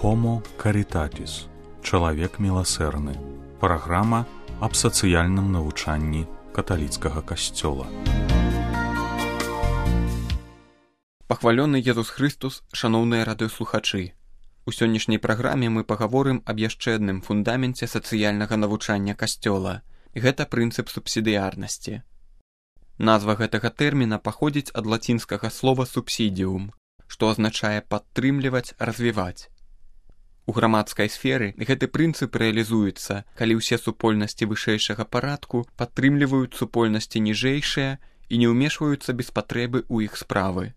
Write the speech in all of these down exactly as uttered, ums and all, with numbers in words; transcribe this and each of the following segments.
Homo Caritatis. Чалавек міласэрны. Праграма аб сацыяльным навучанні каталіцкага касцёла. Пахвалёны Езус Христус, шаноўныя радыёслухачы. У сённяшняй праграме мы пагаворым аб яшчэ адным фундаменце сацыяльнага навучання касцёла. Гэта прынцып субсідыярнасці. Назва гэтага тэрміна паходзіць ад лацінскага слова «subsidium», што азначае падтрымліваць, развіваць. У грамадскай сферы гэты прынцып рэалізуецца, калі ўсе супольнасці вышэйшага парадку падтрымліваюць супольнасці ніжэйшыя і не ўмешваюцца без патрэбы ў іх справы.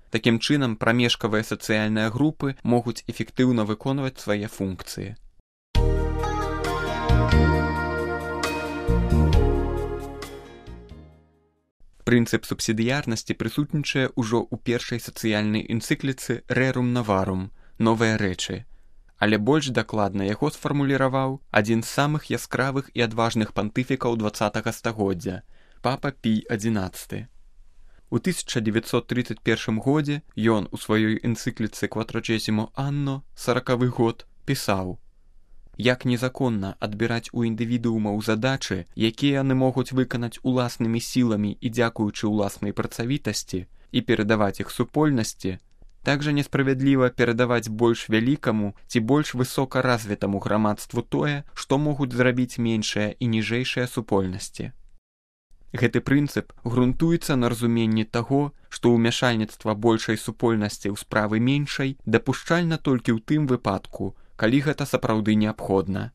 Такім чынам, прамежкавыя сацыяльныя групы могуць эфектыўна выконваць свае функцыі. Прынцып субсідыярнасці прысутнічае ўжо ў першай сацыяльнай энцыкліцы «Rerum Novarum» «Новыя рэчы», але больш дакладна яго сфармуліраваў адзін з самых яскравых і адважных пантыфікаў дваццатага стагоддзя – папа Пій адзінаццаты. У тысяча дзевяцьсот трыццаць першым годзе ён у сваёй энцыкліцы «Quattrocesimo Anno» саракавы год пісаў: «Як незаконна адбіраць у індывідуумаў задачы, якія яны могуць выканаць уласнымі сіламі і дзякуючы ўласнай працавітасці, і перадаваць іх супольнасці, так жа несправядліва перадаваць больш вялікаму ці больш высока развітаму грамадству тое, што могуць зрабіць меншыя і ніжэйшыя супольнасці». Гэты прынцып грунтуецца на разуменні таго, што ўмяшальніцтва большай супольнасці ў справы меншай дапушчальна толькі ў тым выпадку, калі гэта сапраўды неабходна.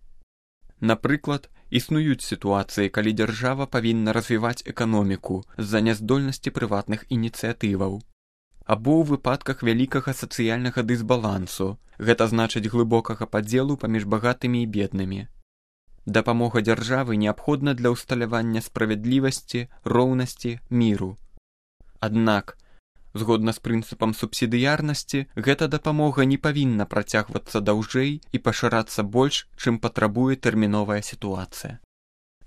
Напрыклад, існуюць сітуацыі, калі дзяржава павінна развіваць эканоміку з-за няздольнасці прыватных ініцыятываў. Або ў выпадках вялікага сацыяльнага дысбалансу, гэта значыць глыбокага падзелу паміж багатымі і беднымі. Дапамога дзяржавы неабходна для ўсталявання справядлівасці, роўнасці, міру. Аднак, згодна з прынцыпам субсідыярнасці, гэта дапамога не павінна працягвацца даўжэй і пашырацца больш, чым патрабуе тэрміновая сітуацыя.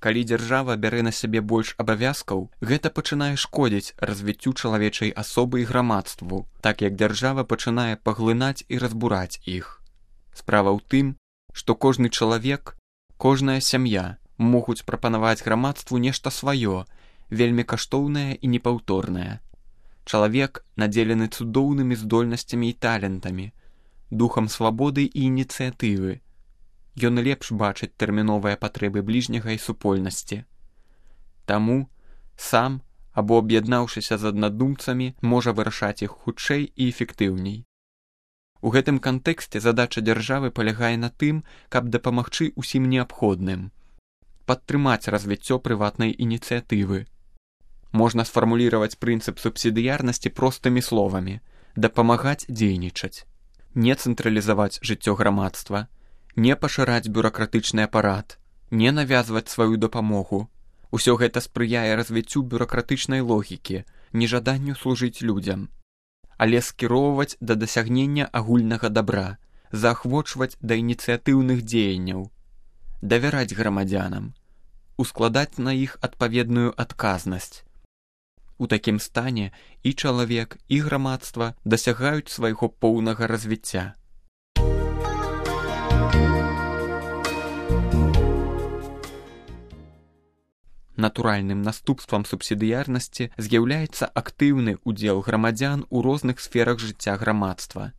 Калі дзяржава бярэ на сябе больш абавязкаў, гэта пачынае шкодзіць развіццю чалавечай асобы і грамадству, так як дзяржава пачынае паглынаць і разбураць іх. Справа ў тым, што кожны чалавек, кожная сям'я могуць прапанаваць грамадству нешта сваё, вельмі каштоўнае і непаўторнае. Чалавек надзелены цудоўнымі здольнасцямі і талентамі, духам свабоды і ініцыятывы. Ён лепш бачыць тэрміновыя патрэбы бліжняга і супольнасці. Таму сам, або аб'яднаўшыся з аднадумцамі, можа вырашаць іх хутчэй і эфектыўней. У гэтым кантэксце задача дзяржавы палягае на тым, каб дапамагчы ўсім неабходным, падтрымаць развіццё прыватнай ініцыятывы. Можна сфармуліраваць прынцып субсідыярнасці простымі словамі: дапамагаць дзейнічаць, не цэнтралізаваць жыццё грамадства, не пашыраць бюракратычны апарат, не навязваць сваю дапамогу. Усё гэта спрыяе развіццю бюракратычнай логікі, нежаданню служыць людзям. Але скіроўваць да дасягнення агульнага дабра, заахвочваць да ініцыятыўных дзеянняў, давяраць грамадзянам, ускладаць на іх адпаведную адказнасць. У такім стане і чалавек, і грамадства дасягаюць свайго поўнага развіцця. Натуральным наступствам субсідыярнасці з'яўляецца актыўны ўдзел грамадзян у розных сферах жыцця грамадства.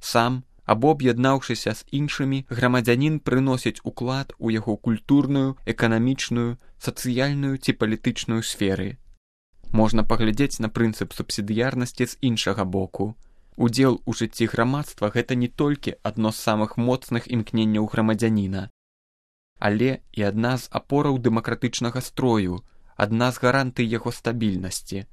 Сам, або аб'яднаўшыся з іншымі, грамадзянін прыносіць уклад у яго культурную, эканамічную, сацыяльную ці палітычную сферы. Можна паглядзець на прынцып субсідыярнасці з іншага боку. Удзел у жыцці грамадства – гэта не толькі адно з самых моцных імкненняў грамадзяніна, але і адна з апораў дэмакратычнага строю, адна з гарантый яго стабільнасці.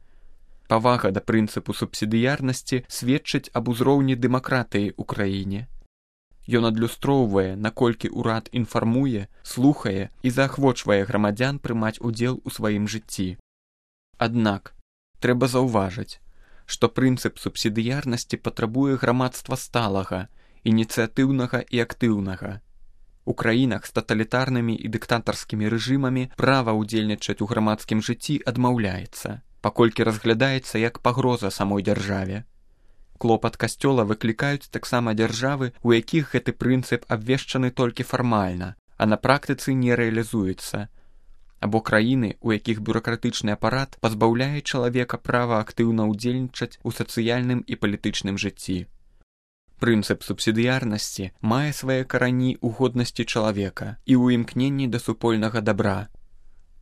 Павага да прынцыпу субсідыярнасці сведчыць аб узроўні дэмакратыі ў краіне. Ён адлюстроўвае, наколькі ўрад інфармуе, слухае і заахвочвае грамадзян прымаць удзел у сваім жыцці. Аднак, трэба заўважыць, што прынцып субсідыярнасці патрабуе грамадства сталага, ініцыятыўнага і актыўнага. У краінах з таталітарнымі і дыктатарскімі рэжымамі права ўдзельнічаць у грамадскім жыцці адмаўляецца, паколькі разглядаецца як пагроза самой дзяржаве. Клопат касцёла выклікаюць таксама дзяржавы, у якіх гэты прынцып абвешчаны толькі фармальна, а на практыцы не рэалізуецца, або краіны, у якіх бюракратычны апарат пазбаўляе чалавека права актыўна ўдзельнічаць у сацыяльным і палітычным жыцці. Прынцып субсідыярнасці мае свае карані ў годнасці чалавека і ў імкненні да супольнага дабра.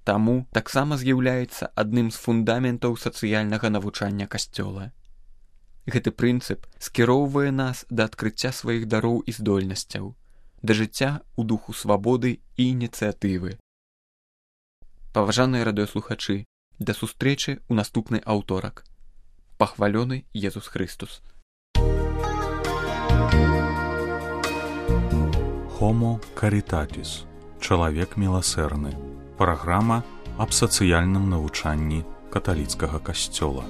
Таму таксама з'яўляецца адным з фундаментаў сацыяльнага навучання касцёла. Гэты прынцып скіроўвае нас да адкрыцця сваіх дароў і здольнасцяў, да жыцця ў духу свабоды і ініцыятывы. Паважаныя радыёслухачы, да сустрэчы ў наступны аўторак. Пахвалёны Езус Хрыстус. Homo Caritatis. Чалавек міласэрны. Праграма аб сацыяльным навучанні каталіцкага касцёла.